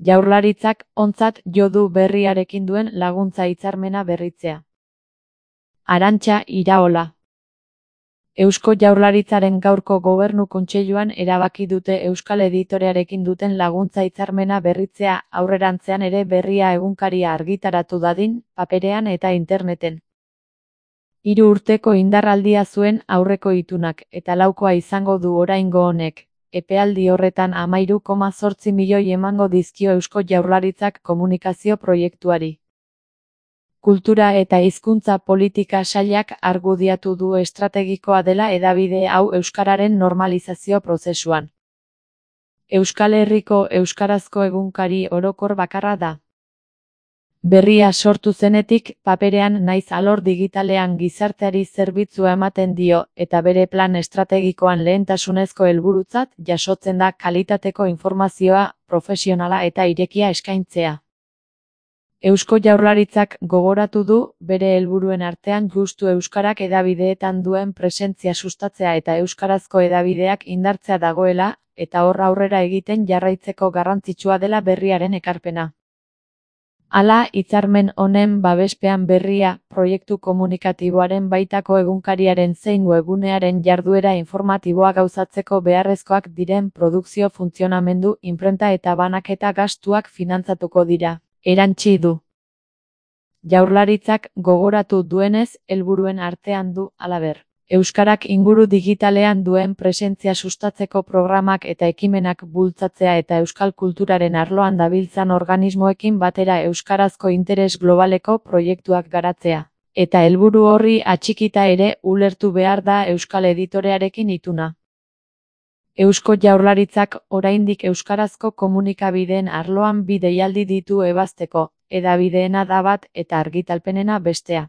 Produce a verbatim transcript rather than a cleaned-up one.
Jaurlaritzak ontzat jo du berriarekin duen laguntza hitzarmena berritzea. Arantxa Iraola. Eusko Jaurlaritzaren gaurko Gobernu Kontseiluan erabaki dute Euskal Editorearekin duten laguntza hitzarmena berritzea aurrerantzean ere Berria egunkaria argitaratu dadin, paperean eta interneten. Hiru urteko indarraldia zuen aurreko itunak eta laukoa izango du oraingo honek. Epealdi horretan hamairu koma zortzi milioi emango dizkio Eusko Jaurlaritzak komunikazio proiektuari. Kultura eta hizkuntza politika sailak argudiatu du estrategikoa dela hedabide hau euskararen normalizazio prozesuan. Euskal Herriko euskarazko egunkari orokor bakarra da. Berria sortu zenetik, paperean naiz alor digitalean gizarteari zerbitzua ematen dio eta bere plan estrategikoan lehentasunezko helburutzat jasotzen da kalitateko informazioa, profesionala eta irekia eskaintzea. Eusko Jaurlaritzak gogoratu du bere helburuen artean justu euskarak hedabideetan duen presentzia sustatzea eta euskarazko hedabideak indartzea dagoela, eta hor aurrera egiten jarraitzeko garrantzitsua dela berriaren ekarpena. Hala, hitzarmen honen babespean Berria, proiektu komunikatiboaren baitako egunkariaren zein webgunearen jarduera informatiboa gauzatzeko beharrezkoak diren produkzio funtzionamendu, inprenta eta banaketa gastuak finantzatuko dira, erantsi du. Jaurlaritzak gogoratu duenez, helburuen artean du, halaber, euskarak inguru digitalean duen presentzia sustatzeko programak eta ekimenak bultzatzea eta euskal kulturaren arloan dabiltzan organismoekin batera euskarazko interes globaleko proiektuak garatzea. Eta helburu horri atxikita ere ulertu behar da Euskal Editorearekin ituna. Eusko Jaurlaritzak oraindik euskarazko komunikabideen arloan bi deialdi ditu ebazteko, hedabideena da bat eta argitalpenena bestea.